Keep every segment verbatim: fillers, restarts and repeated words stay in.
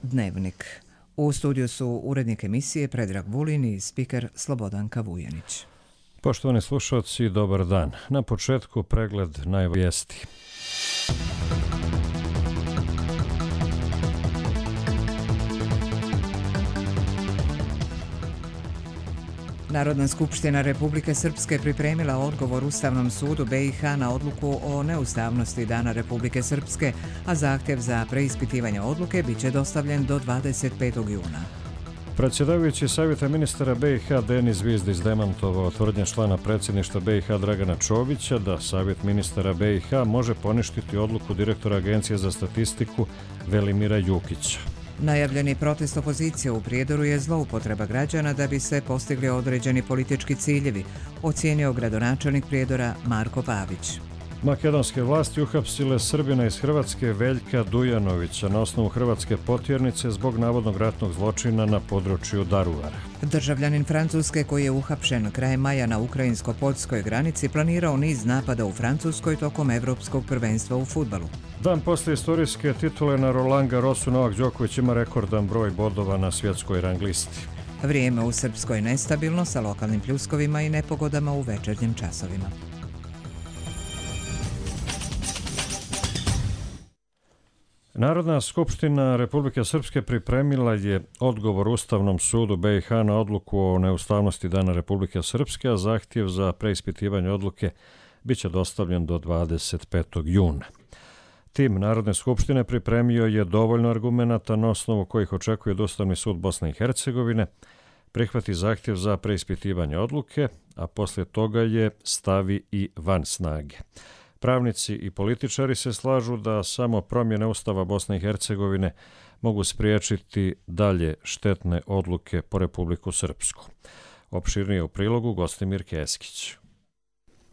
Dnevnik. U studiju su urednik emisije Predrag Vulin i spiker Slobodanka Vujanić. Poštovani slušalci, dobar dan. Na početku pregled najvijesti. Narodna skupština Republike Srpske pripremila odgovor Ustavnom sudu B i H na odluku o neustavnosti Dana Republike Srpske, a zahtjev za preispitivanje odluke bit će dostavljen do dvadeset petog juna. Predsjedavajući Savjeta ministara B i H Denis Zvizdić demantovao tvrdnje člana predsjedništva B i H Dragana Čovića da Savjet ministara B i H može poništiti odluku direktora Agencije za statistiku Velimira Jukića. Najavljeni protest opozicije u Prijedoru je zloupotreba građana da bi se postigli određeni politički ciljevi, ocijenio gradonačelnik Prijedora Marko Pavić. Makedonske vlasti uhapsile Srbina iz Hrvatske Veljka Dujanovića na osnovu hrvatske potjernice zbog navodnog ratnog zločina na području Daruvara. Državljanin Francuske koji je uhapšen krajem maja na ukrajinsko-poljskoj granici planirao niz napada u Francuskoj tokom Evropskog prvenstva u fudbalu. Dan poslije istorijske titule na Roland Garrosu Novak Đoković ima rekordan broj bodova na svjetskoj rang listi. Vrijeme u Srpskoj nestabilno sa lokalnim pljuskovima i nepogodama u večernjim časovima. Narodna skupština Republike Srpske pripremila je odgovor Ustavnom sudu B i H na odluku o neustavnosti Dana Republike Srpske, a zahtjev za preispitivanje odluke bit će dostavljen do dvadeset petog juna. Tim Narodne skupštine pripremio je dovoljno argumenata na osnovu kojih očekuje da Ustavni sud Bosne i Hercegovine prihvati zahtjev za preispitivanje odluke, a poslije toga je stavi i van snage. Pravnici i političari se slažu da samo promjene Ustava Bosne i Hercegovine mogu spriječiti dalje štetne odluke po Republiku Srpsku. Opširnije u prilogu Gostimir Keskić.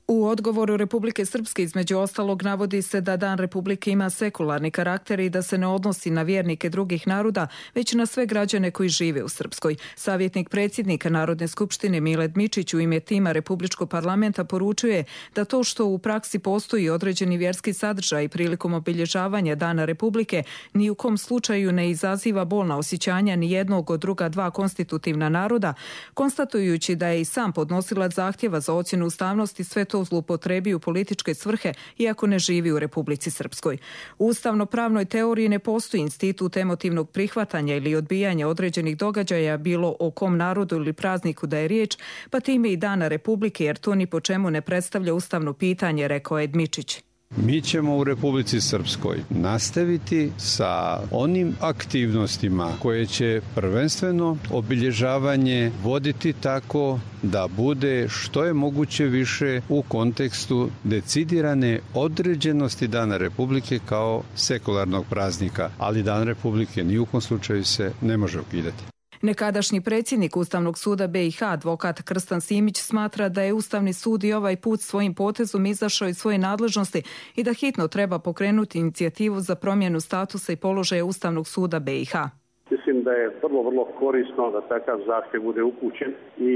U odgovoru Republike Srpske između ostalog navodi se da Dan Republike ima sekularni karakter i da se ne odnosi na vjernike drugih naroda, već na sve građane koji žive u Srpskoj. Savjetnik predsjednika Narodne skupštine Mile Dmičić u ime tima Republičkog parlamenta poručuje da to što u praksi postoji određeni vjerski sadržaj prilikom obilježavanja Dana Republike ni u kom slučaju ne izaziva bolna osjećanja ni jednog od druga dva konstitutivna naroda, konstatujući da je i sam podnosilac zahtjeva za ocjenu ustavnosti sve to zloupotrebi u političke svrhe iako ne živi u Republici Srpskoj. U ustavno-pravnoj teoriji ne postoji institut emotivnog prihvatanja ili odbijanja određenih događaja bilo o kom narodu ili prazniku da je riječ, pa time i Dana Republike, jer to ni po čemu ne predstavlja ustavno pitanje, rekao je Dmičić. Mi ćemo u Republici Srpskoj nastaviti sa onim aktivnostima koje će prvenstveno obilježavanje voditi tako da bude što je moguće više u kontekstu decidirane određenosti Dana Republike kao sekularnog praznika, ali Dan Republike ni u kom slučaju se ne može ukidati. Nekadašnji predsjednik Ustavnog suda B i H, advokat Krstan Simić, smatra da je Ustavni sud i ovaj put svojim potezom izašao iz svoje nadležnosti i da hitno treba pokrenuti inicijativu za promjenu statusa i položaja Ustavnog suda B i H. Mislim da je vrlo, vrlo korisno da takav zahtjev bude upućen i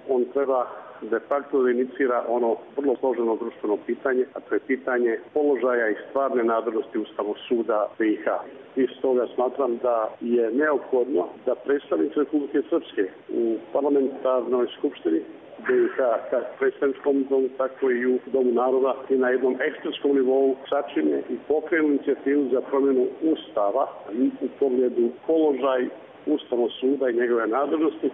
on treba de facto da inicira ono vrlo složeno društveno pitanje, a to je pitanje položaja i stvarne nadležnosti Ustavnog suda B i H. I stoga smatram da je neophodno da predstavnici Republike Srpske u parlamentarnoj skupštini B i H, kako predstavničkom domu, tako i u Domu naroda i na jednom ekspertskom nivou sačine i pokrenu inicijativu za promjenu Ustava u pogledu položaj Ustavnog suda i njegove nadležnosti.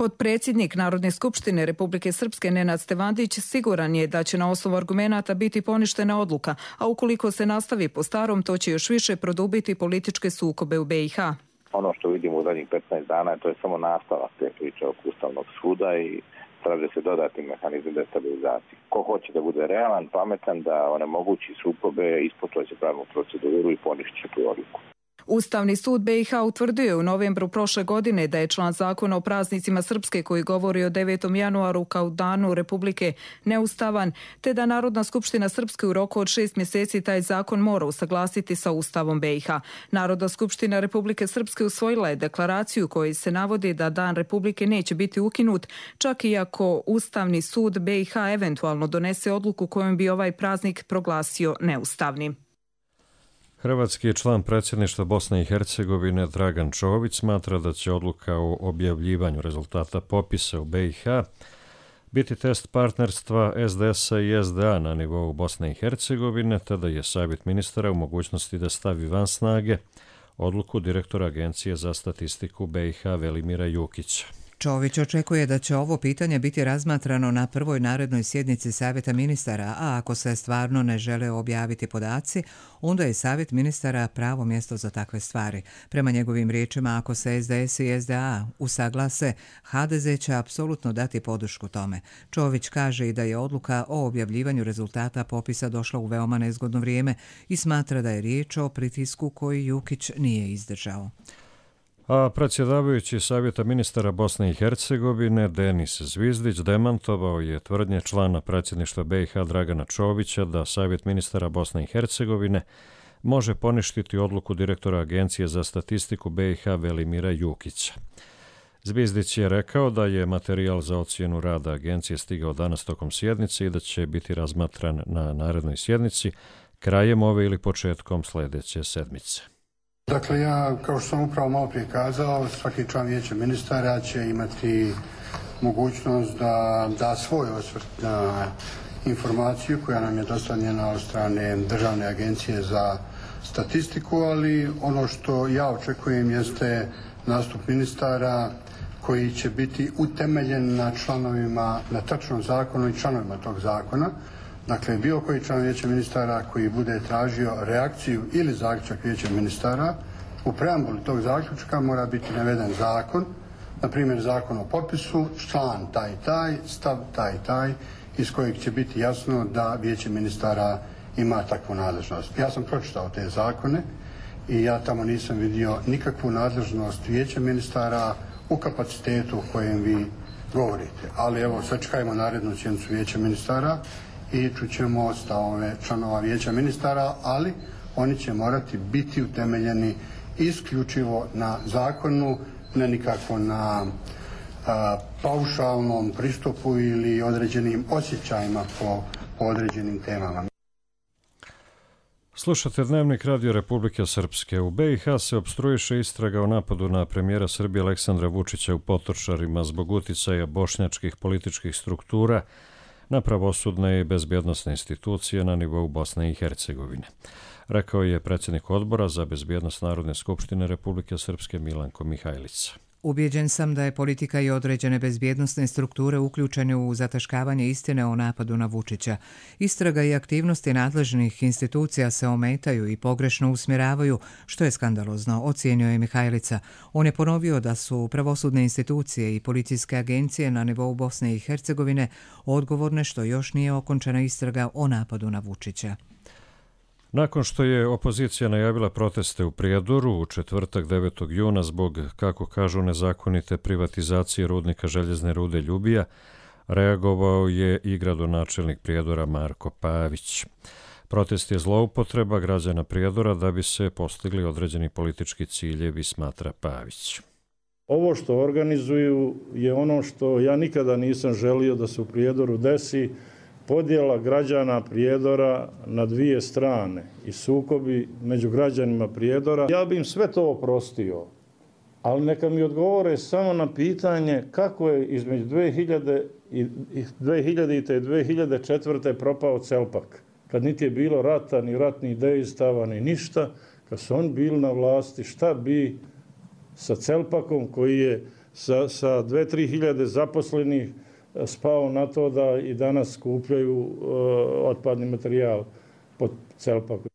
Potpredsjednik Narodne skupštine Republike Srpske Nenad Stevandić siguran je da će na osnovu argumenata biti poništena odluka, a ukoliko se nastavi po starom, to će još više produbiti političke sukobe u B i H. Ono što vidimo u zadnjih petnaest dana, to je samo nastavak te priče oko Ustavnog suda i traže se dodatni mehanizam destabilizacije. Ko hoće da bude realan, pametan, da onemogući sukobe, ispoštovat će pravnu proceduru i ponišće tu odluku. Ustavni sud B i H utvrdio je u novembru prošle godine da je član zakona o praznicima Srpske koji govori o devetom januaru kao danu Republike neustavan, te da Narodna skupština Srpske u roku od šest mjeseci taj zakon mora usaglasiti sa Ustavom B i H. Narodna skupština Republike Srpske usvojila je deklaraciju kojoj se navodi da Dan Republike neće biti ukinut, čak i ako Ustavni sud B i H eventualno donese odluku kojom bi ovaj praznik proglasio neustavnim. Hrvatski član predsjedništva Bosne i Hercegovine Dragan Čović smatra da će odluka o objavljivanju rezultata popisa u B i H biti test partnerstva S D S-a i S D A na nivou Bosne i Hercegovine, te da je savjet ministara u mogućnosti da stavi van snage odluku direktora Agencije za statistiku B i H Velimira Jukića. Čović očekuje da će ovo pitanje biti razmatrano na prvoj narednoj sjednici Savjeta ministara, a ako se stvarno ne žele objaviti podaci, onda je Savjet ministara pravo mjesto za takve stvari. Prema njegovim riječima, ako se S D S i S D A usaglase, H D Z će apsolutno dati podršku tome. Čović kaže i da je odluka o objavljivanju rezultata popisa došla u veoma nezgodno vrijeme i smatra da je riječ o pritisku koji Jukić nije izdržao. A predsjedavajući Savjeta ministara Bosne i Hercegovine Denis Zvizdić demantovao je tvrdnje člana predsjedništva B i H Dragana Čovića da Savjet ministara Bosne i Hercegovine može poništiti odluku direktora Agencije za statistiku B i H Velimira Jukića. Zvizdić je rekao da je materijal za ocjenu rada agencije stigao danas tokom sjednice i da će biti razmatran na narednoj sjednici krajem ove ili početkom sljedeće sedmice. Dakle, ja, kao što sam upravo malo prije kazao, svaki član vijeća ministara će imati mogućnost da da svoj osvrt na informaciju koja nam je dostavljena od strane Državne agencije za statistiku, ali ono što ja očekujem jeste nastup ministara koji će biti utemeljen na članovima, na tačnom zakonu i članovima tog zakona. Dakle, bilo koji član vijeća ministara koji bude tražio reakciju ili zaključak vijeća ministara, u preambuli tog zaključka mora biti naveden zakon, na primjer zakon o popisu, član taj taj, stav taj taj, iz kojeg će biti jasno da vijeće ministara ima takvu nadležnost. Ja sam pročitao te zakone i ja tamo nisam vidio nikakvu nadležnost vijeća ministara u kapacitetu o kojem vi govorite. Ali evo, sačekajmo narednu sjednicu vijeća ministara i čućemo stavove članova vijeća ministara, ali oni će morati biti utemeljeni isključivo na zakonu, ne nikako na a, paušalnom pristupu ili određenim osjećajima po, po određenim temama. Slušate Dnevnik Radio Republike Srpske. U B i H se opstruiše istraga o napadu na premijera Srbije Aleksandra Vučića u Potočarima zbog uticaja bošnjačkih političkih struktura na pravosudne i bezbjednosne institucije na nivou Bosne i Hercegovine. Rekao je predsjednik odbora za bezbjednost Narodne skupštine Republike Srpske Milanko Mihajlica. Ubjeđen sam da je politika i određene bezbjednosne strukture uključene u zataškavanje istine o napadu na Vučića. Istraga i aktivnosti nadležnih institucija se ometaju i pogrešno usmjeravaju, što je skandalozno, ocijenio je Mihajlica. On je ponovio da su pravosudne institucije i policijske agencije na nivou Bosne i Hercegovine odgovorne što još nije okončana istraga o napadu na Vučića. Nakon što je opozicija najavila proteste u Prijedoru u četvrtak devetog juna zbog, kako kažu, nezakonite privatizacije rudnika željezne rude Ljubija, reagovao je i gradonačelnik Prijedora Marko Pavić. Protest je zloupotreba građana Prijedora da bi se postigli određeni politički ciljevi, smatra Pavić. Ovo što organizuju je ono što ja nikada nisam želio da se u Prijedoru desi, podjela građana Prijedora na dvije strane i sukobi među građanima Prijedora. Ja bi im sve to oprostio, ali neka mi odgovore samo na pitanje kako je između dve hiljade i dve hiljade četvrte propao Celpak. Kad niti je bilo rata, ni ratnih dejstava, ni ništa, kad su oni bili na vlasti, šta bi sa Celpakom koji je sa, sa dve do tri hiljade zaposlenih spao na to da i danas skupljaju uh, otpadni materijal pod Celpakom.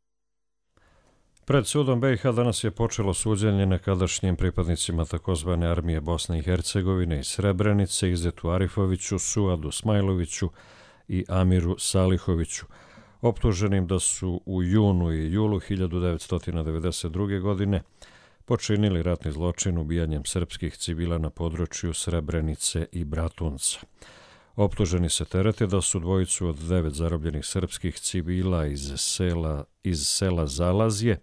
Pred sudom B i H danas je počelo suđenje nekadašnjim pripadnicima takozvane armije Bosne i Hercegovine i Srebrenice, Izetu Arifoviću, Suadu Smajloviću i Amiru Salihoviću, optuženim da su u junu i julu hiljadu devetsto devedeset druge. godine počinili ratni zločin ubijanjem srpskih civila na području Srebrenice i Bratunca. Optuženi se terete da su dvojicu od devet zarobljenih srpskih civila iz sela, iz sela Zalazje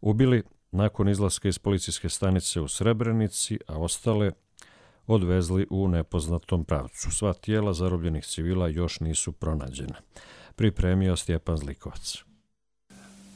ubili nakon izlaska iz policijske stanice u Srebrenici, a ostale odvezli u nepoznatom pravcu. Sva tijela zarobljenih civila još nisu pronađena. Pripremio Stjepan Zlikovac.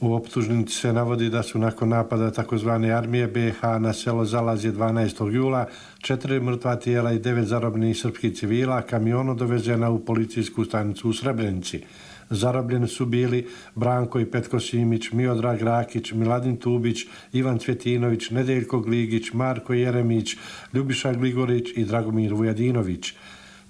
U optužnici se navodi da su nakon napada takozvane armije B i H na selo Zalazje dvanaestog jula četiri mrtva tijela i devet zarobljenih srpskih civila kamionom dovezena u policijsku stanicu u Srebrenici. Zarobljeni su bili Branko i Petko Simić, Miodrag Rakić, Miladin Tubić, Ivan Cvjetinović, Nedeljko Gligić, Marko Jeremić, Ljubiša Gligorić i Dragomir Vujadinović.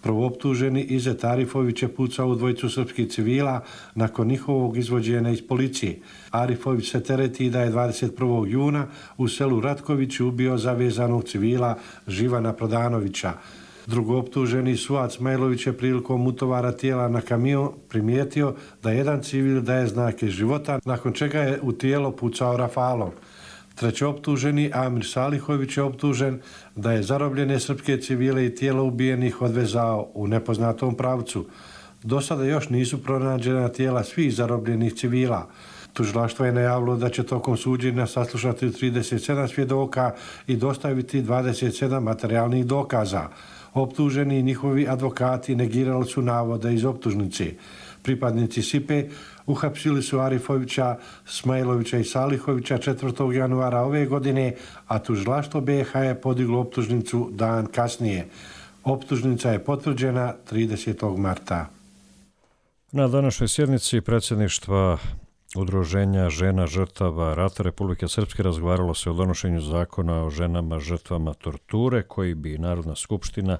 Prvooptuženi Izet Arifović je pucao u dvojicu srpskih civila nakon njihovog izvođenja iz policije. Arifović se tereti da je dvadeset prvog juna u selu Ratković ubio zavezanog civila Živana Prodanovića. Drugooptuženi Suad Smajlović je prilikom utovara tijela na kamion primijetio da jedan civil daje znake života, nakon čega je u tijelo pucao rafalom. Trećooptuženi Amir Salihović je optužen da je zarobljene srpske civile i tijela ubijenih odvezao u nepoznatom pravcu. Do sada još nisu pronađena tijela svih zarobljenih civila. Tužilaštvo je najavilo da će tokom suđenja saslušati trideset sedam svjedoka i dostaviti dvadeset sedam materijalnih dokaza. Optuženi i njihovi advokati negirali su navode iz optužnice. Pripadnici S I P E uhapsili su Arifovića, Smajlovića i Salihovića četvrtog januara ove godine, a tužilaštvo B i H je podiglo optužnicu dan kasnije. Optužnica je potvrđena tridesetog marta. Na današnjoj sjednici predsjedništva Udruženja žena žrtava rata Republike Srpske razgovaralo se o donošenju zakona o ženama žrtvama torture koji bi Narodna skupština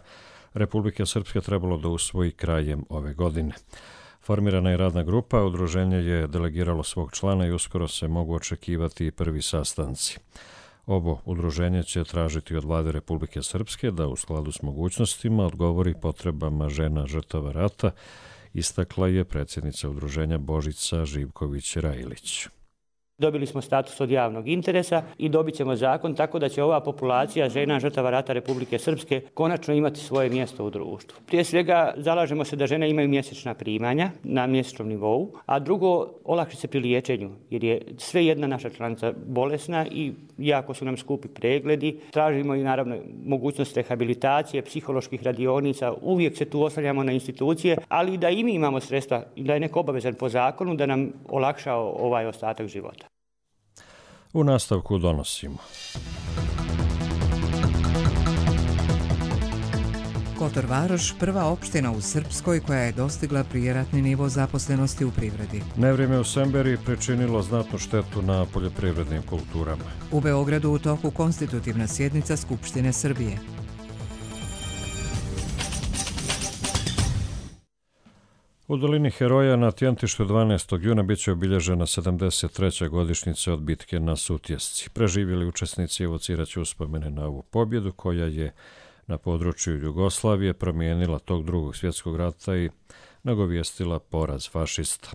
Republike Srpske trebalo da usvoji krajem ove godine. Formirana je radna grupa, udruženje je delegiralo svog člana i uskoro se mogu očekivati prvi sastanci. Ovo udruženje će tražiti od Vlade Republike Srpske da u skladu s mogućnostima odgovori potrebama žena žrtava rata, istakla je predsjednica udruženja Božica Živković-Rajilić. Dobili smo status od javnog interesa i dobit ćemo zakon tako da će ova populacija žena žrtava rata Republike Srpske konačno imati svoje mjesto u društvu. Prije svega zalažemo se da žene imaju mjesečna primanja na mjesečnom nivou, a drugo olakšice pri liječenju jer je sve jedna naša članica bolesna i jako su nam skupi pregledi. Tražimo i naravno mogućnost rehabilitacije, psiholoških radionica, uvijek se tu oslanjamo na institucije, ali i da i mi imamo sredstva i da je neko obavezan po zakonu da nam olakša ovaj ostatak života. U nastavku donosimo. Kotor Varoš, prva opština u Srpskoj koja je dostigla prijeratni nivo zaposlenosti u privredi. Nevrijeme u Semberiji pričinilo znatnu štetu na poljoprivrednim kulturama. U Beogradu u toku konstitutivna sjednica Skupštine Srbije. U dolini Heroja na Tjentištu dvanaestog juna biće obilježena sedamdeset treća godišnjica od bitke na Sutjesci. Preživjeli učesnici evociraće uspomene na ovu pobjedu koja je na području Jugoslavije promijenila tog drugog svjetskog rata i nagovijestila poraz fašista.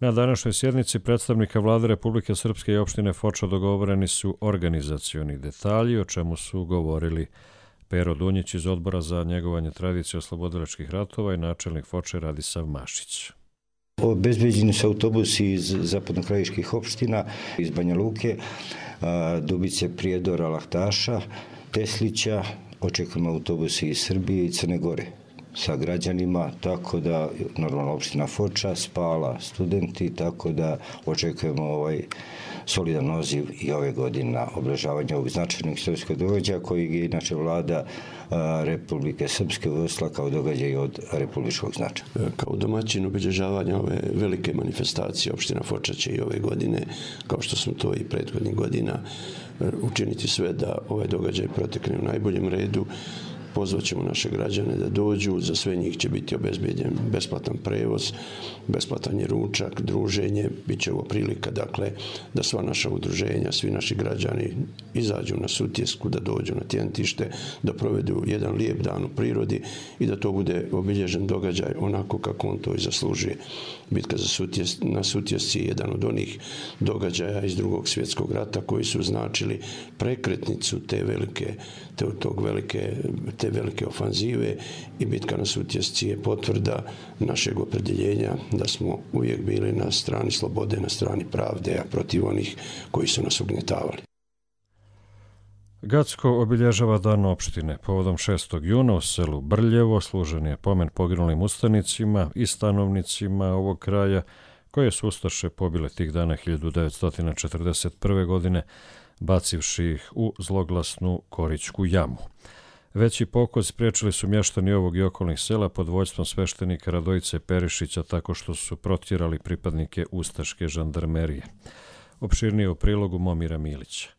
Na današnjoj sjednici predstavnika Vlade Republike Srpske i opštine Foča dogovoreni su organizacioni detalji, o čemu su govorili Pero Dunjić iz Odbora za njegovanje tradicije oslobodilačkih ratova i načelnik Foče Radisav Mašić. Obezbeđeni su autobusi iz zapadnokrajiških opština, iz Banja Luke, Dubice, Prijedora, Lahtaša, Teslića, očekujemo autobusi iz Srbije i Crne Gore sa građanima, tako da normalno opština Foča, Spala, studenti, tako da očekujemo ovaj solidan odziv i ove godine na obeležavanje ovog značajnog istorijskog događaja koji je inače Vlada Republike Srpske uvrsla kao događaj od republičkog značaja. Kao domaćin obilježavanja ove velike manifestacije opština Foča će i ove godine, kao što smo to i prethodnih godina, učiniti sve da ovaj događaj protekne u najboljem redu. Pozvaćemo naše građane da dođu, za sve njih će biti obezbeđen besplatan prevoz, besplatan je ručak, druženje, bit će ovo prilika dakle, da sva naša udruženja, svi naši građani izađu na Sutjesku, da dođu na Tjentište, da provedu jedan lijep dan u prirodi i da to bude obilježen događaj onako kako on to i zaslužuje. Bitka za Sutjes, na Sutjesci je jedan od onih događaja iz drugog svjetskog rata koji su značili prekretnicu te velike, te, tog velike, te velike ofanzive i bitka na Sutjesci je potvrda našeg opredjeljenja da smo uvijek bili na strani slobode, na strani pravde, a protiv onih koji su nas ugnjetavali. Gacko obilježava dan opštine. Povodom šestog juna u selu Brljevo služen je pomen poginulim ustanicima i stanovnicima ovog kraja koje su ustaše pobile tih dana hiljadu devetsto četrdeset prve. godine, bacivši ih u zloglasnu Korićku jamu. Veći pokolj spriječili su mještani ovog i okolnih sela pod vođstvom sveštenika Radojice Perišića tako što su protjerali pripadnike ustaške žandarmerije. Opširnije u prilogu Momira Milića.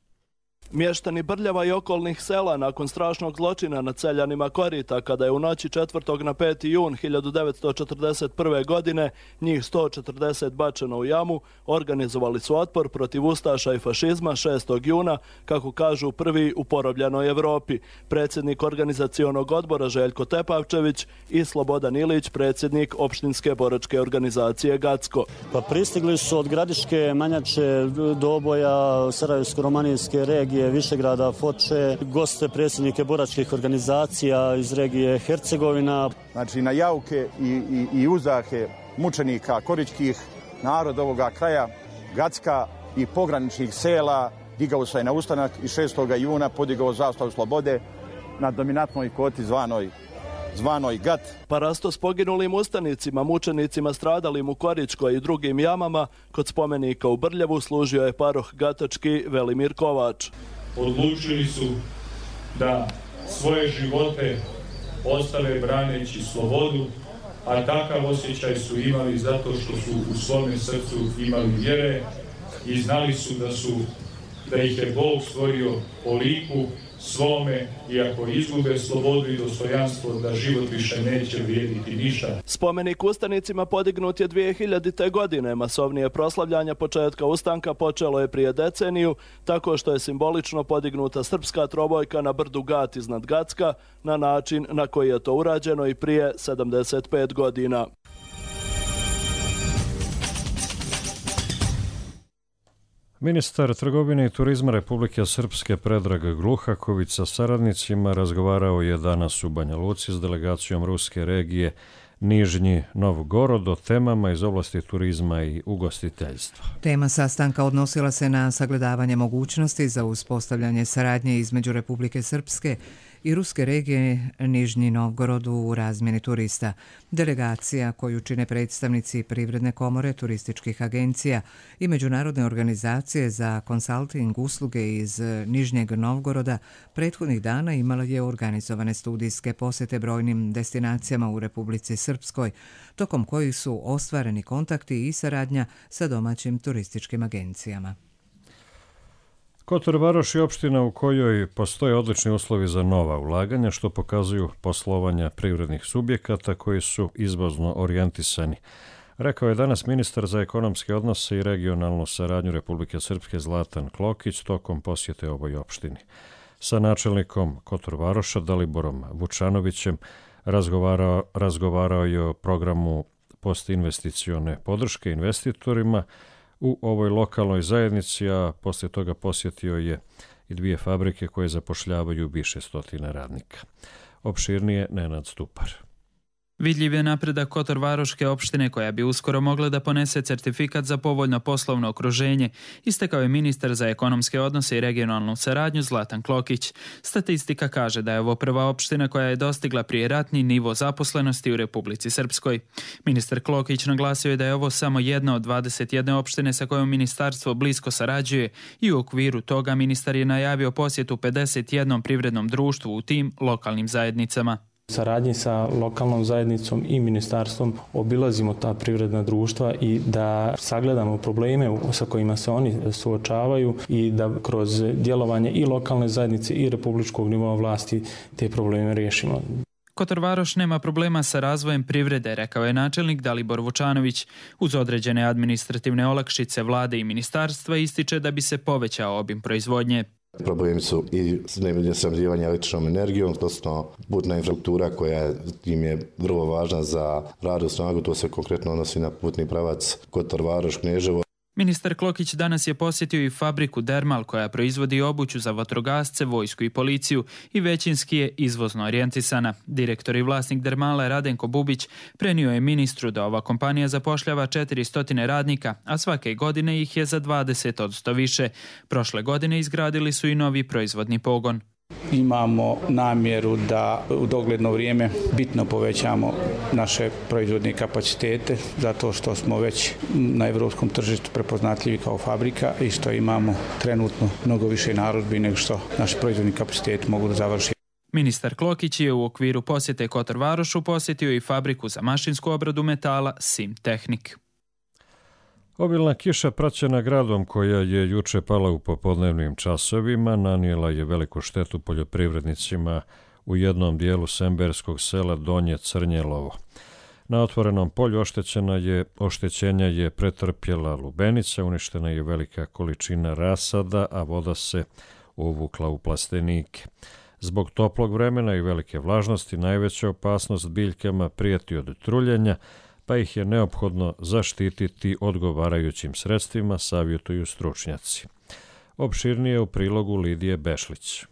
Mještani Brljeva i okolnih sela nakon strašnog zločina nad seljanima Korita, kada je u noći četvrtog na peti jun hiljadu devetsto četrdeset prve. godine njih sto četrdeset bačeno u jamu, organizovali su otpor protiv ustaša i fašizma šestog juna, kako kažu prvi u porobljenoj Evropi. Predsjednik organizacionog odbora Željko Tepavčević i Slobodan Ilić, predsjednik opštinske boračke organizacije Gacko. Pa pristigli su od Gradiške, Manjače, Doboja, Sarajevsko-romanijske regije, Višegrada, Foče, goste predsjednike boračkih organizacija iz regije Hercegovina. Znači na jauke i, i, i uzahe mučenika koričkih, narod ovoga kraja, Gacka i pograničnih sela digao se na ustanak i šestog juna podigao zastavu slobode na dominantnoj koti zvanoj zvanoj Gat. Parasto s poginulim ustanicima, mučenicima stradalim u Koričkoj i drugim jamama, kod spomenika u Brljevu služio je paroh gatački Velimir Kovač. Odlučili su da svoje živote ostave braneći slobodu, a takav osjećaj su imali zato što su u svome srcu imali vjere i znali su da su da ih je Bog stvorio po liku svome i ako izgube slobodu i dostojanstvo da život više neće vrijediti ništa. Spomenik ustanicima podignut je dvije hiljadite. godine. Masovnije proslavljanja početka ustanka počelo je prije deceniju, tako što je simbolično podignuta srpska trobojka na brdu Gat iznad Gacka na način na koji je to urađeno i prije sedamdeset pet godina. Ministar trgovine i turizma Republike Srpske Predrag Gluhaković sa saradnicima razgovarao je danas u Banja Luci s delegacijom ruske regije Nižnji Novgorod o temama iz oblasti turizma i ugostiteljstva. Tema sastanka odnosila se na sagledavanje mogućnosti za uspostavljanje saradnje između Republike Srpske i ruske regije Nižnji Novgorod u razmjeni turista. Delegacija koju čine predstavnici Privredne komore, turističkih agencija i Međunarodne organizacije za konsalting usluge iz Nižnjeg Novgoroda prethodnih dana imala je organizovane studijske posjete brojnim destinacijama u Republici Srpskoj, tokom kojih su ostvareni kontakti i saradnja sa domaćim turističkim agencijama. Kotor Varoš je opština u kojoj postoje odlični uslovi za nova ulaganja, što pokazuju poslovanja privrednih subjekata koji su izvozno orijentisani. Rekao je danas ministar za ekonomske odnose i regionalnu saradnju Republike Srpske Zlatan Klokić tokom posjete ovoj opštini. Sa načelnikom Kotor Varoša Daliborom Vučanovićem razgovarao, razgovarao je o programu postinvesticione podrške investitorima u ovoj lokalnoj zajednici, a poslije toga posjetio je i dvije fabrike koje zapošljavaju više stotina radnika. Opširnije Nenad Stupar. Vidljiv je napredak Kotor-Varoške opštine koja bi uskoro mogla da ponese certifikat za povoljno poslovno okruženje, istakao je ministar za ekonomske odnose i regionalnu saradnju Zlatan Klokić. Statistika kaže da je ovo prva opština koja je dostigla prijeratni nivo zaposlenosti u Republici Srpskoj. Ministar Klokić naglasio je da je ovo samo jedna od dvadeset jedne opštine sa kojom ministarstvo blisko sarađuje i u okviru toga ministar je najavio posjetu pedeset jednom privrednom društvu u tim lokalnim zajednicama. Saradnji sa lokalnom zajednicom i ministarstvom obilazimo ta privredna društva i da sagledamo probleme sa kojima se oni suočavaju i da kroz djelovanje i lokalne zajednice i republičkog nivoa vlasti te probleme riješimo. Kotor Varoš nema problema sa razvojem privrede, rekao je načelnik Dalibor Vučanović. Uz određene administrativne olakšice vlade i ministarstva ističe da bi se povećao obim proizvodnje. Problemi su i snabdijevanje električnom energijom, odnosno putna infrastruktura koja im je vrlo važna za radnu snagu, to se konkretno odnosi na putni pravac Kotor Varoš Kneževo. Ministar Klokić danas je posjetio i fabriku Dermal koja proizvodi obuću za vatrogasce, vojsku i policiju i većinski je izvozno orijentisana. Direktor i vlasnik Dermala Radenko Bubić prenio je ministru da ova kompanija zapošljava četiristo radnika, a svake godine ih je za dvadeset posto više. Prošle godine izgradili su i novi proizvodni pogon. Imamo namjeru da u dogledno vrijeme bitno povećamo naše proizvodne kapacitete, zato što smo već na evropskom tržištu prepoznatljivi kao fabrika i što imamo trenutno mnogo više narudžbi nego što naši proizvodni kapaciteti mogu da završi. Ministar Klokić je u okviru posjete Kotor Varošu posjetio i fabriku za mašinsku obradu metala Simtehnik. Obilna kiša praćena gradom koja je juče pala u popodnevnim časovima nanijela je veliku štetu poljoprivrednicima u jednom dijelu semberskog sela Donje Crnjelovo. Na otvorenom polju oštećena je, oštećenja je pretrpjela lubenica, uništena je velika količina rasada, a voda se uvukla u plastenike. Zbog toplog vremena i velike vlažnosti najveća opasnost biljkama prijeti od truljenja, pa ih je neophodno zaštititi odgovarajućim sredstvima, savjetuju stručnjaci. Opširnije u prilogu Lidije Bešlić.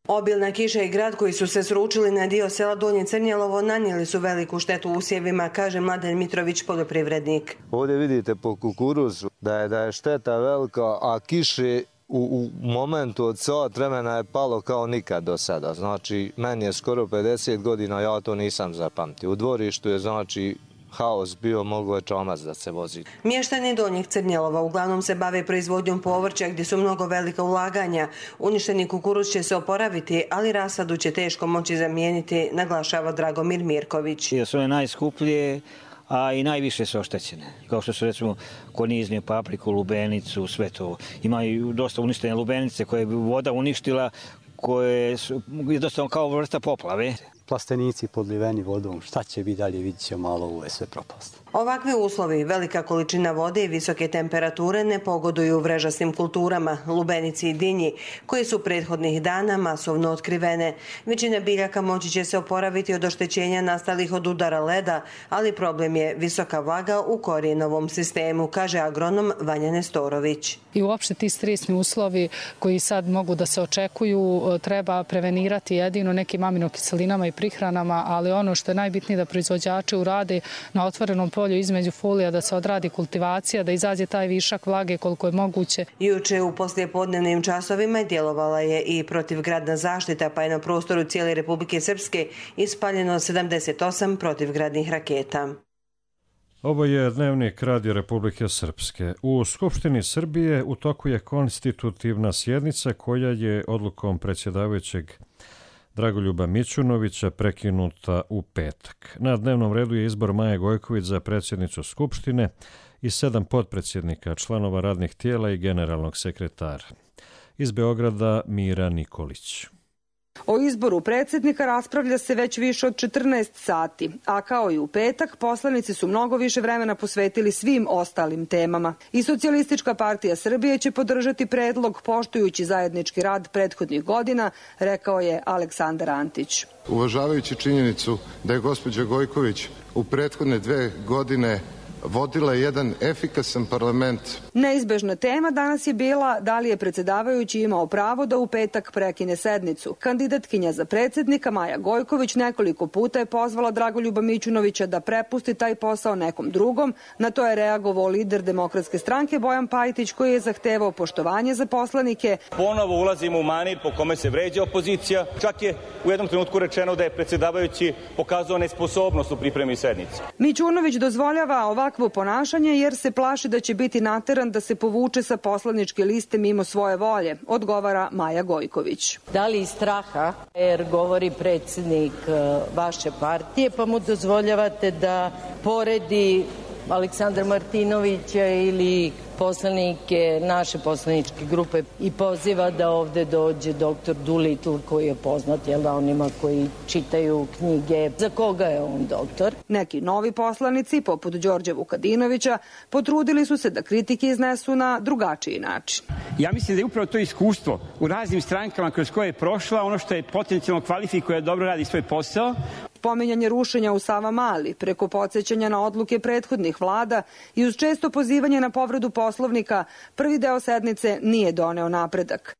Obilna kiša i grad koji su se sručili na dio sela Donje Crnjelovo nanijeli su veliku štetu usjevima, kaže Mladen Mitrović, poljoprivrednik. Ovdje vidite po kukuruzu da je, da je šteta velika, a kiše u, u momentu od sat vremena je palo kao nikad do sada. Znači, meni je skoro pedeset godina, ja to nisam zapamtio. U dvorištu je, znači, haos bio, mogo je čomac da se vozi. Mještani Donjeg Crnjelova uglavnom se bave proizvodnjom povrća gdje su mnogo velika ulaganja. Uništeni kukuruz će se oporaviti, ali rasadu će teško moći zamijeniti, naglašava Dragomir Mirković. Su one najskuplje, a i najviše su oštećene. Kao što su recimo konizniju papriku, lubenicu, sve to. Imaju dosta uništene lubenice koje bi voda uništila, koje su jednostavno kao vrsta poplave. Plastenici podliveni vodom, šta će biti dalje, vidit će malo, ovo je sve propast. Ovakvi uslovi, velika količina vode i visoke temperature ne pogoduju vrežastim kulturama, lubenici i dinji, koje su prethodnih dana masovno otkrivene. Većina biljaka moći će se oporaviti od oštećenja nastalih od udara leda, ali problem je visoka vlaga u korijenovom sistemu, kaže agronom Vanja Nestorović. I uopšte ti stresni uslovi koji sad mogu da se očekuju treba prevenirati jedino nekim aminokiselinama i prihranama, ali ono što je najbitnije da proizvođači urade na otvorenom polju između folija, da se odradi kultivacija, da izađe taj višak vlage koliko je moguće. Juče u poslijepodnevnim časovima djelovala je i protivgradna zaštita, pa je na prostoru cijele Republike Srpske ispaljeno sedamdeset osam protivgradnih raketa. Ovo je dnevnik Radija Republike Srpske. U Skupštini Srbije u toku je konstitutivna sjednica koja je odlukom predsjedavajućeg Dragoljuba Mićunovića prekinuta u petak. Na dnevnom redu je izbor Maje Gojković za predsjednicu Skupštine i sedam potpredsjednika, članova radnih tijela i generalnog sekretara. Iz Beograda Mira Nikolić. O izboru predsjednika raspravlja se već više od četrnaest sati, a kao i u petak, poslanici su mnogo više vremena posvetili svim ostalim temama. I Socijalistička partija Srbije će podržati predlog poštujući zajednički rad prethodnih godina, rekao je Aleksandar Antić. Uvažavajući činjenicu da je gospođa Gojković u prethodne dve godine vodila jedan efikasan parlament. Neizbežna tema danas je bila da li je predsjedavajući imao pravo da u petak prekine sednicu. Kandidatkinja za predsjednika Maja Gojković nekoliko puta je pozvala Dragoljuba Mićunovića da prepusti taj posao nekom drugom. Na to je reagovao lider Demokratske stranke Bojan Pajtić, koji je zahtevao poštovanje za poslanike. Ponovo ulazimo u manir po kome se vređa opozicija. Čak je u jednom trenutku rečeno da je predsjedavajući pokazao nesposobnost u pripremi sednice. Mićunović dozvoljava ovakvo ponašanje jer se plaši da će biti nateran da se povuče sa poslaničke liste mimo svoje volje, odgovara Maja Gojković. Da li iz straha, jer govori predsjednik vaše partije, pa mu dozvoljavate da poredi Aleksandra Martinovića ili poslanike naše poslaničke grupe i poziva da ovde dođe doktor Doolittle, koji je poznat jel da onima koji čitaju knjige. Za koga je on doktor? Neki novi poslanici, poput Đorđa Vukadinovića, potrudili su se da kritike iznesu na drugačiji način. Ja mislim da je upravo to iskustvo u raznim strankama kroz koje je prošla ono što je potencijalno kvalifikuje, dobro radi svoj posao. Pominjanje rušenja u Savamali, preko podsjećanja na odluke prethodnih vlada i uz često pozivanje na povredu Poslovnika, prvi deo sednice nije doneo napredak.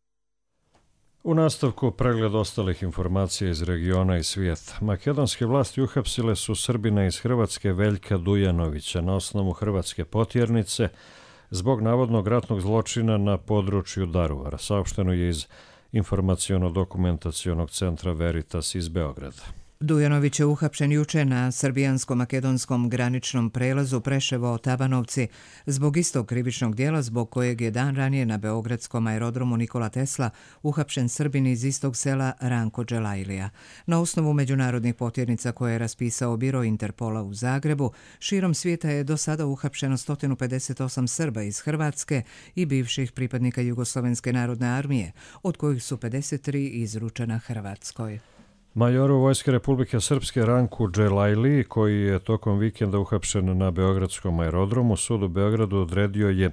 U nastavku pregled ostalih informacija iz regiona i svijeta. Makedonske vlasti uhapsile su Srbina iz Hrvatske Veljka Dujanovića na osnovu hrvatske potjernice zbog navodnog ratnog zločina na području Daruvara. Saopšteno je iz informaciono-dokumentacionog centra Veritas iz Beograda. Dujanović je uhapšen juče na srbijansko-makedonskom graničnom prelazu Preševo-Tabanovci zbog istog krivičnog dijela zbog kojeg je dan ranije na beogradskom aerodromu Nikola Tesla uhapšen Srbin iz istog sela Ranko Dželajlija. Na osnovu međunarodnih potjernica koje je raspisao biro Interpola u Zagrebu, širom svijeta je do sada uhapšeno sto pedeset osam Srba iz Hrvatske i bivših pripadnika Jugoslovenske narodne armije, od kojih su pedeset tri izručena Hrvatskoj. Majoru Vojske Republike Srpske Ranku Dželajli, koji je tokom vikenda uhapšen na beogradskom aerodromu, sud u Beogradu odredio je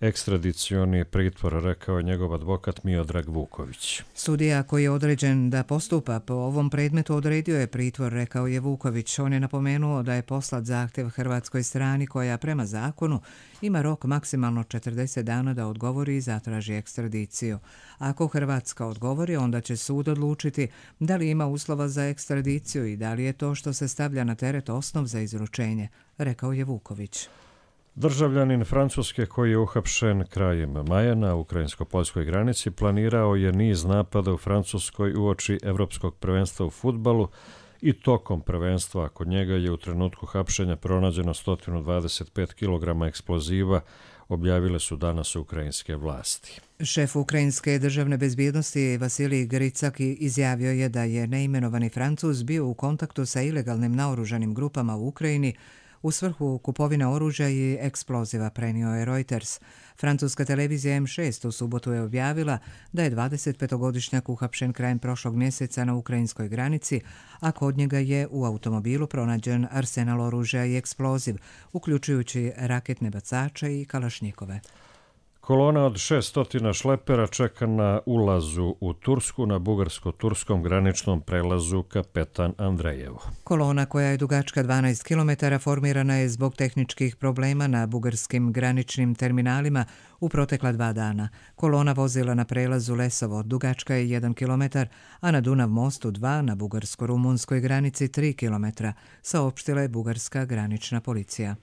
ekstradicioni pritvor, rekao je njegov advokat Miodrag Vuković. Sudija koji je određen da postupa po ovom predmetu odredio je pritvor, rekao je Vuković. On je napomenuo da je poslat zahtjev hrvatskoj strani koja prema zakonu ima rok maksimalno četrdeset dana da odgovori i zatraži ekstradiciju. Ako Hrvatska odgovori, onda će sud odlučiti da li ima uslova za ekstradiciju i da li je to što se stavlja na teret osnov za izručenje, rekao je Vuković. Državljanin Francuske koji je uhapšen krajem maja na ukrajinsko-poljskoj granici planirao je niz napada u Francuskoj uoči Evropskog prvenstva u fudbalu i tokom prvenstva. Kod njega je u trenutku hapšenja pronađeno sto dvadeset pet kilograma eksploziva, objavile su danas ukrajinske vlasti. Šef ukrajinske državne bezbjednosti Vasilij Gricak izjavio je da je neimenovani Francuz bio u kontaktu sa ilegalnim naoružanim grupama u Ukrajini u svrhu kupovine oružja i eksploziva, prenio je Reuters. Francuska televizija M šest u subotu je objavila da je dvadesetpetogodišnjak uhapšen krajem prošlog mjeseca na ukrajinskoj granici, a kod njega je u automobilu pronađen arsenal oružja i eksploziv, uključujući raketne bacače i kalašnjikove. Kolona od šesnaest šlepera čeka na ulazu u Tursku na bugarsko-turskom graničnom prelazu Kapetan Andrejevo. Kolona koja je dugačka dvanaest kilometara formirana je zbog tehničkih problema na bugarskim graničnim terminalima u protekla dva dana. Kolona vozila na prelazu Lesovo dugačka je jedan kilometar, a na Dunav mostu dva na bugarsko-rumunskoj granici tri kilometra, saopštila je bugarska granična policija.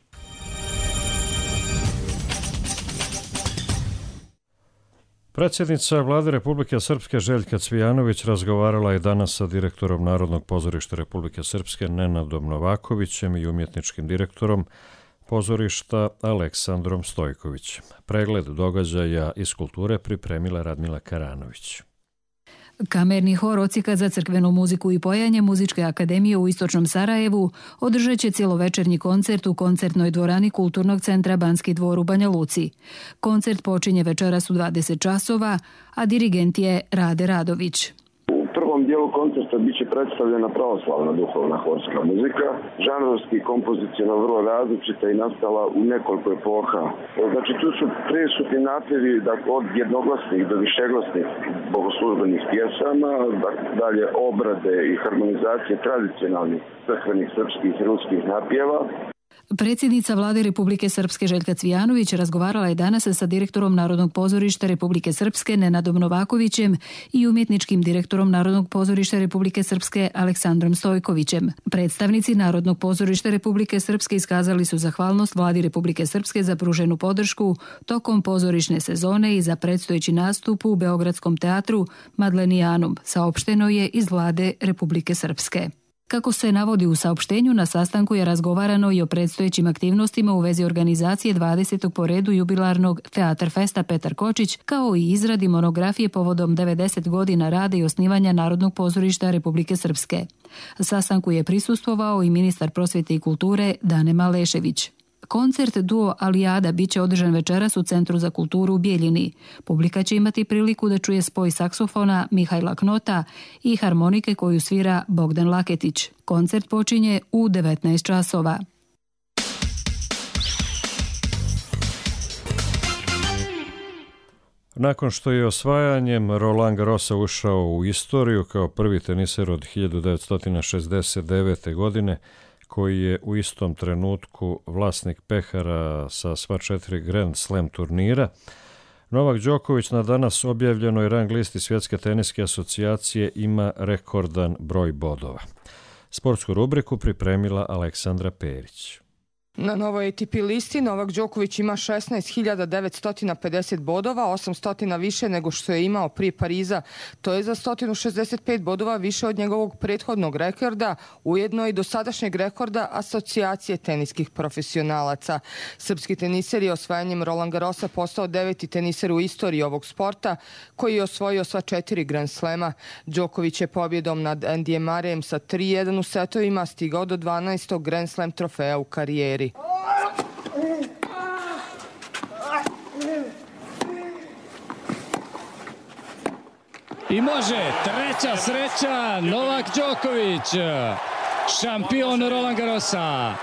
Predsjednica Vlade Republike Srpske Željka Cvijanović razgovarala je danas sa direktorom Narodnog pozorišta Republike Srpske Nenadom Novakovićem i umjetničkim direktorom pozorišta Aleksandrom Stojkovićem. Pregled događaja iz kulture pripremila Radmila Karanović. Kamerni hor Odsjeka za crkvenu muziku i pojanje Muzičke akademije u Istočnom Sarajevu održat će cjelovečernji koncert u koncertnoj dvorani Kulturnog centra Banski dvor u Banja Luci. Koncert počinje večeras u dvadeset časova, a dirigent je Rade Radović. U prvom dijelu koncerta bit će predstavljena pravoslavna duhovna horska muzika, žanrovski kompozicionalno vrlo različita i nastala u nekoliko epoha. Znači tu su prisutni napjevi dakle, od jednoglasnih do višeglasnih bogoslužbenih pjesama, dalje obrade i harmonizacije tradicionalnih crkvenih srpskih i ruskih napjeva. Predsjednica Vlade Republike Srpske Željka Cvijanović razgovarala je danas sa direktorom Narodnog pozorišta Republike Srpske Nenadom Novakovićem i umjetničkim direktorom Narodnog pozorišta Republike Srpske Aleksandrom Stojkovićem. Predstavnici Narodnog pozorišta Republike Srpske iskazali su zahvalnost Vladi Republike Srpske za pruženu podršku tokom pozorišne sezone i za predstojeći nastup u Beogradskom teatru Madlenijanum, saopšteno je iz Vlade Republike Srpske. Kako se navodi u saopštenju, na sastanku je razgovarano i o predstojećim aktivnostima u vezi organizacije dvadesetog po redu jubilarnog Teatar Festa Petar Kočić, kao i izradi monografije povodom devedeset godina rada i osnivanja Narodnog pozorišta Republike Srpske. Sastanku je prisustvovao i ministar prosvjete i kulture Dane Malešević. Koncert Duo Alijada bit će održan večeras u Centru za kulturu u Bijeljini. Publika će imati priliku da čuje spoj saksofona Mihajla Knota i harmonike koju svira Bogdan Laketić. Koncert počinje u devetnaest časova. Nakon što je osvajanjem Roland Garrosa ušao u istoriju kao prvi teniser od hiljadu devetsto šezdeset devete. godine, koji je u istom trenutku vlasnik pehara sa sva četiri Grand Slam turnira, Novak Đoković na danas objavljenoj rang listi Svjetske teniske asocijacije ima rekordan broj bodova. Sportsku rubriku pripremila Aleksandra Perić. Na novoj A T P listi Novak Đoković ima šesnaest hiljada devetsto pedeset bodova, osamsto više nego što je imao prije Pariza. To je za sto šezdeset pet bodova više od njegovog prethodnog rekorda, ujedno i dosadašnjeg rekorda Asocijacije teniskih profesionalaca. Srpski teniser je osvajanjem Roland Garrosa postao deveti teniser u istoriji ovog sporta, koji je osvojio sva četiri Grand Slema. Đoković je pobjedom nad Andyjem Murrayem sa tri jedan u setovima stigao do dvanaestog Grand Slam trofeja u karijeri. I može, treća sreća, Novak Đoković, šampion Roland Garrosa.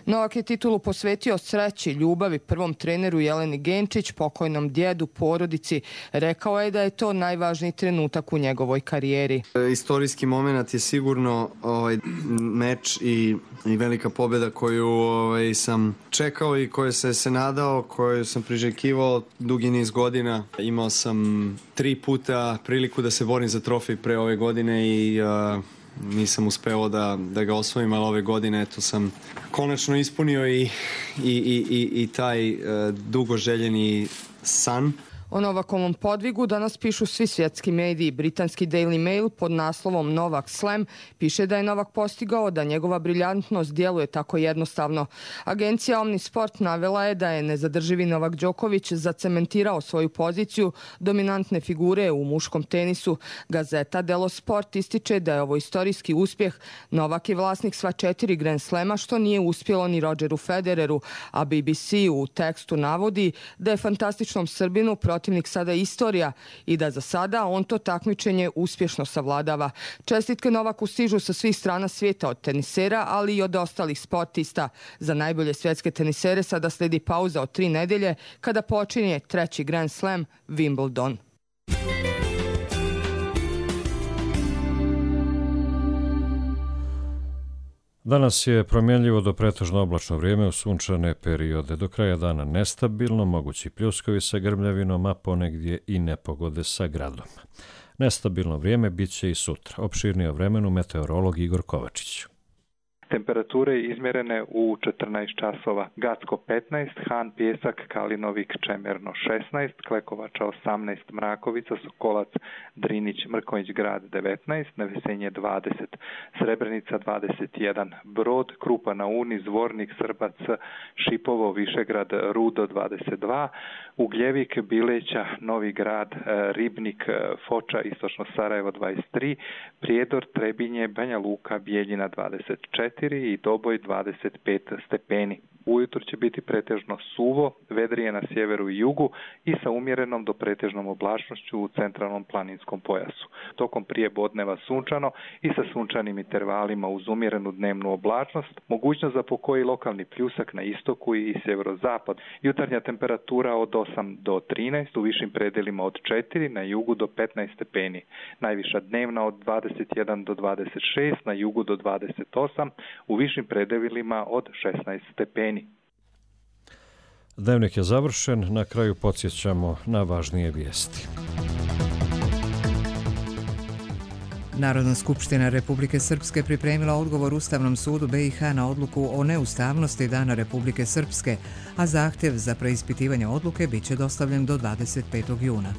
Novak je titulu posvetio sreći, ljubavi, prvom treneru Jeleni Genčić, pokojnom djedu, porodici. Rekao je da je to najvažniji trenutak u njegovoj karijeri. Istorijski moment je sigurno ovaj meč i, i velika pobjeda koju ovaj, sam čekao i koju se, se nadao, koju sam priželjkivao dugi niz godina. Imao sam tri puta priliku da se borim za trofej pre ove godine i uh, nisam uspeo da, da ga osvojim, ali ove godine eto sam konačno ispunio i, i, i, i, i taj uh, dugo željeni san. O Novakovom podvigu danas pišu svi svjetski mediji. Britanski Daily Mail pod naslovom Novak Slam piše da je Novak postigao da njegova briljantnost djeluje tako jednostavno. Agencija Omnisport navela je da je nezadrživi Novak Đoković zacementirao svoju poziciju dominantne figure u muškom tenisu. Gazeta Delo Sport ističe da je ovo istorijski uspjeh. Novak je vlasnik sva četiri Grand Slema, što nije uspjelo ni Rodgeru Federeru, a B B C u tekstu navodi da je fantastičnom Srbinu protivnik sada istorija i da za sada on to takmičenje uspješno savladava. Čestitke Novaku stižu sa svih strana svijeta od tenisera, ali i od ostalih sportista. Za najbolje svjetske tenisere sada slijedi pauza od tri nedelje kada počinje treći Grand Slam Wimbledon. Danas je promjenljivo do pretežno oblačno vrijeme u sunčane periode. Do kraja dana nestabilno, mogući pljuskovi sa grmljavinom, a ponegdje i nepogode sa gradom. Nestabilno vrijeme bit će i sutra. Opširnije o vremenu meteorolog Igor Kovačić. Temperature izmjerene u četrnaest časova. Gacko petnaest, Han, Pjesak, Kalinovik, Čemerno šesnaest, Klekovača osamnaest, Mrakovica, Sokolac, Drinić, Mrkonjić grad devetnaest, Nevesenje dvadeset, Srebrenica dvadeset jedan, Brod, Krupa na Uni, Zvornik, Srbac, Šipovo, Višegrad, Rudo dvadeset dva, Ugljevik, Bileća, Novi grad, Ribnik, Foča, Istočno Sarajevo dvadeset tri, Prijedor, Trebinje, Banja Luka, Bijeljina dvadeset četiri i Doboj dvadeset pet stepeni. Ujutro će biti pretežno suvo, vedrije na sjeveru i jugu i sa umjerenom do pretežnom oblačnošću u centralnom planinskom pojasu. Tokom prijepodneva sunčano i sa sunčanim intervalima uz umjerenu dnevnu oblačnost, mogućnost za pokoji lokalni pljusak na istoku i sjeverozapad. Jutarnja temperatura od osam do trinaest, u višim predelima od četiri, na jugu do petnaest stepeni. Najviša dnevna od dvadeset jedan do dvadeset šest, na jugu do dvadeset osam, u višim predelima od šesnaest stepeni. Dnevnik je završen, na kraju podsjećamo na važnije vijesti. Narodna skupština Republike Srpske pripremila odgovor Ustavnom sudu B i H na odluku o neustavnosti Dana Republike Srpske, a zahtjev za preispitivanje odluke bit će dostavljen do dvadeset petog juna.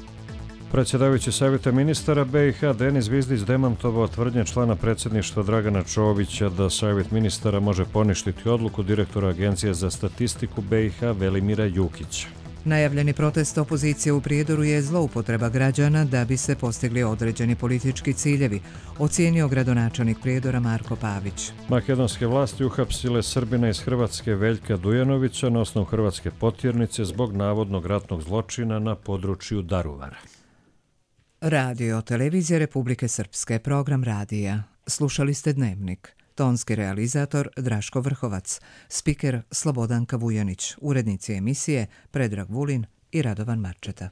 Predsjedavajući savjeta ministara B i H Denis Zvizdić demantovao tvrdnje člana predsjedništva Dragana Čovića da savjet ministara može poništiti odluku direktora Agencije za statistiku B i H Velimira Jukića. Najavljeni protest opozicije u Prijedoru je zloupotreba građana da bi se postigli određeni politički ciljevi, ocijenio gradonačelnik Prijedora Marko Pavić. Makedonske vlasti uhapsile Srbina iz Hrvatske Veljka Dujanovića na osnovu hrvatske potjernice zbog navodnog ratnog zločina na području Daruvara. Radio Televizija Republike Srpske, program radija. Slušali ste Dnevnik. Tonski realizator Draško Vrhovac, spiker Slobodanka Vujanić, urednici emisije Predrag Vulin i Radovan Marčeta.